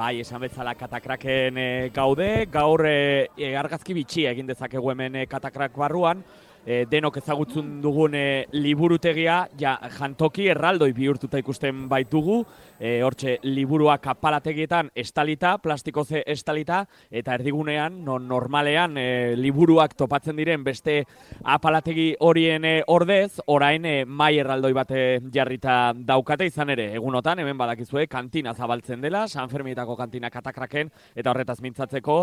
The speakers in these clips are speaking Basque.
Bai, esan bezala katakraken gaude, gaur argazki bitxia egin dezakegu hemen katakrak barruan, denok ezagutzen dugun liburutegia, jantoki erraldoi bihurtuta ikusten baitugu, hortxe liburuak apalategietan estalita, plastikoze estalita, eta erdigunean, normalean liburuak topatzen diren beste apalategi horien ordez, orain mai erraldoi bat jarrita daukate izan ere, egunotan, hemen badakizue, kantina zabaltzen dela, San Ferminetako kantina katakraken, eta horretaz mintzatzeko,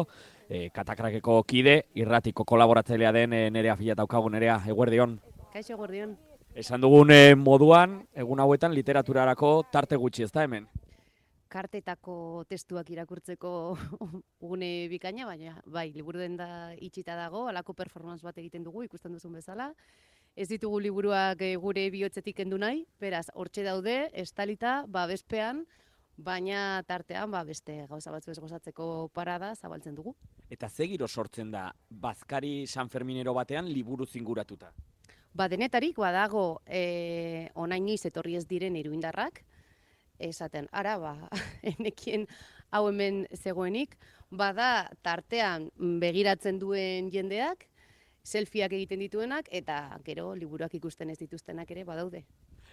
katakrakeko kide, irratiko kolaboratzailea den Nerea Fila daukagu. Nerea, eguerdion. Kaixo, eguerdion. Esan dugun moduan, egun hauetan literaturarako tarte gutxi, ez da hemen? Kartetako testuak irakurtzeko une bikaina, baina bai, liburu denda itxita dago, halako performance bat egiten dugu, ikusten duzun bezala. Ez ditugu liburuak gure bihotzetik kendu nahi, beraz, hortxe daude, estalita, bezpean, baina tartean beste gauza batzu ez gozatzeko parada zabaltzen dugu. Eta ze giro sortzen da Bazkari San Ferminero batean liburu zinguratuta? Denetarik badago onainiz etorri ez diren iruindarrak, esaten, ara enekien hau hemen zegoenik, bada tartean begiratzen duen jendeak, selfieak egiten dituenak, eta gero liburuak ikusten ez dituztenak ere badaude.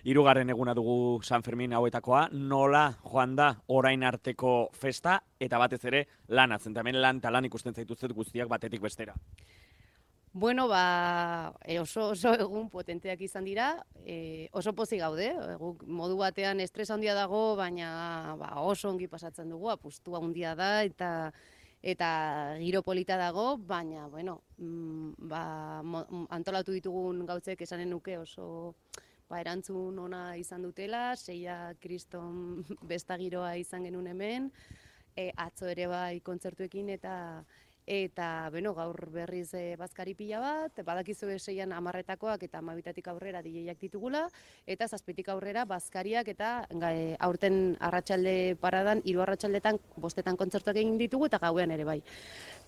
Hirugarren eguna dugu San Fermin hauetakoa, nola joan da orain arteko festa, eta batez ere lana, hemen lan eta lan ikusten zaituztet guztiak batetik bestera. Bueno, oso egun potenteak izan dira, oso pozik gaude, modu batean estres handia dago, baina oso ongi pasatzen dugu, apustua handia da, eta giro polita dago, baina, bueno, antolatu ditugun gautzek esanen nuke oso erantzun ona izan dutela, seia kriston besta giroa izan genuen hemen, atzo ere bai kontzertuekin eta gaur berriz Bazkari pila bat, badakizue seian 10-etakoak eta 12-tatik aurrera DJak ditugula, eta 7-tik aurrera Bazkariak eta aurten arratsalde paradan, 3 arratsaldetan 5-etan kontzertuak egin ditugu eta gauean ere bai.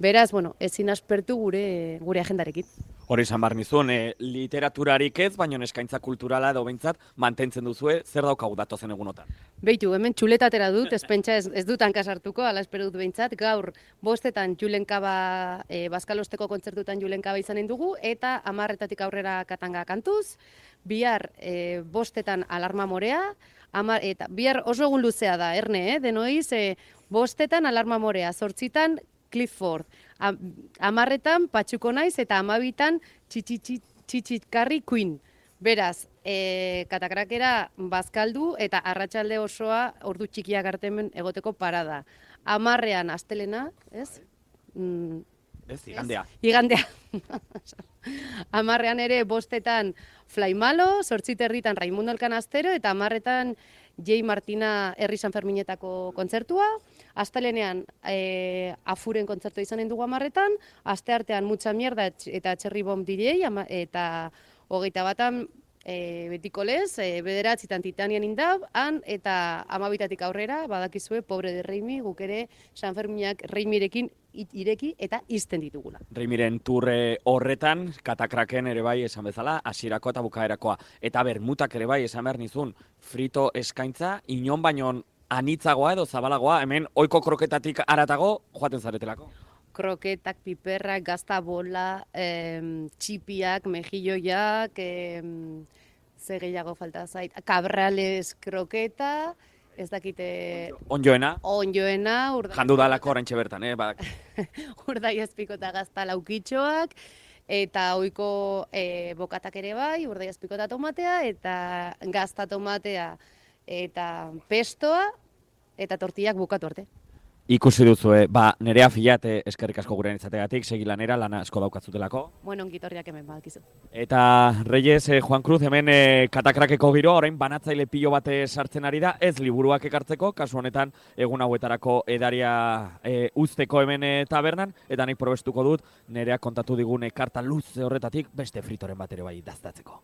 Beraz, ezin aspertu gure agendarekin. Hori izan behar nizun, literaturarik ez, baina eskaintza kulturala edo behintzat mantentzen duzue, zer daukagu datozen egunotan? Beitu, hemen txuletatera dut, ez dut hankasartuko, ala espero dut behintzat, gaur 5-etan Julenkaba, Bazkalosteko kontzertutan Julenkaba izanen dugu, eta 10-etatik aurrera Katanga kantuz, bihar 5-etan Alarma Morea, eta bihar oso egun luzea da, erne, denoiz, 5-etan Alarma Morea, 8-etan Clifford, 10-etan Patxuko Naiz eta 12-etan Txitxitkarri Queen. Beraz, katakrakera bazkaldu eta arratsalde osoa ordu txikiak artemen egoteko parada. 10-ean astelena, ez? Ez, igandea. Igandea. 10-ean ere 5-etan Flaimalo, 8-etan Raimundo Elkanastero eta 10-etan J. Martina Herri San Ferminetako kontzertua, astelenean Afuren kontzertua izanen dugu 10-etan, asteartean Mucha Mierda eta Cherry Bomb DJ, eta 21-an Betiko Lez, 9-etan Titanian Indab, eta 12-tatik aurrera, badakizue, Pobre de Reimi, guk ere San Ferminak Reimirekin ireki eta izten ditugula. Reimiren turre horretan, katakraken ere bai esan bezala, hasierako eta bukaerakoa. Eta bermutak ere bai esan behar nizun, frito eskaintza, inon bainon anitzagoa edo zabalagoa, hemen ohiko kroketatik haratago joaten zaretelako. Kroketak, piperrak, gazta bola, txipiak, mejilloiak, ze gehiago falta zait, kabrales kroketa, ez dakite... Onjoena? Onjoena. Jandu dalako oraintxe bertan, Urdai azpiko eta gazta laukitxoak, eta ohiko bokatak ere bai, urdai azpiko eta tomatea, eta gazta tomatea, eta pestoa, eta tortillak bukatu arte. Ikusi duzue, Nerea Filat eskerrik asko gurean izategatik, segi lanera, lana asko daukatzutelako. Bueno, ongitorriak hemen badakizu. Eta Reyes, Juan Cruz, hemen katakrakeko giro, orain banatzaile pilo bate sartzen ari da, ez liburuak ekartzeko, kasu honetan egun hauetarako edaria uzteko hemen tabernan, eta nik probestuko dut, Nerea kontatu digune karta luze horretatik, beste fritoren bat ere bai daztatzeko.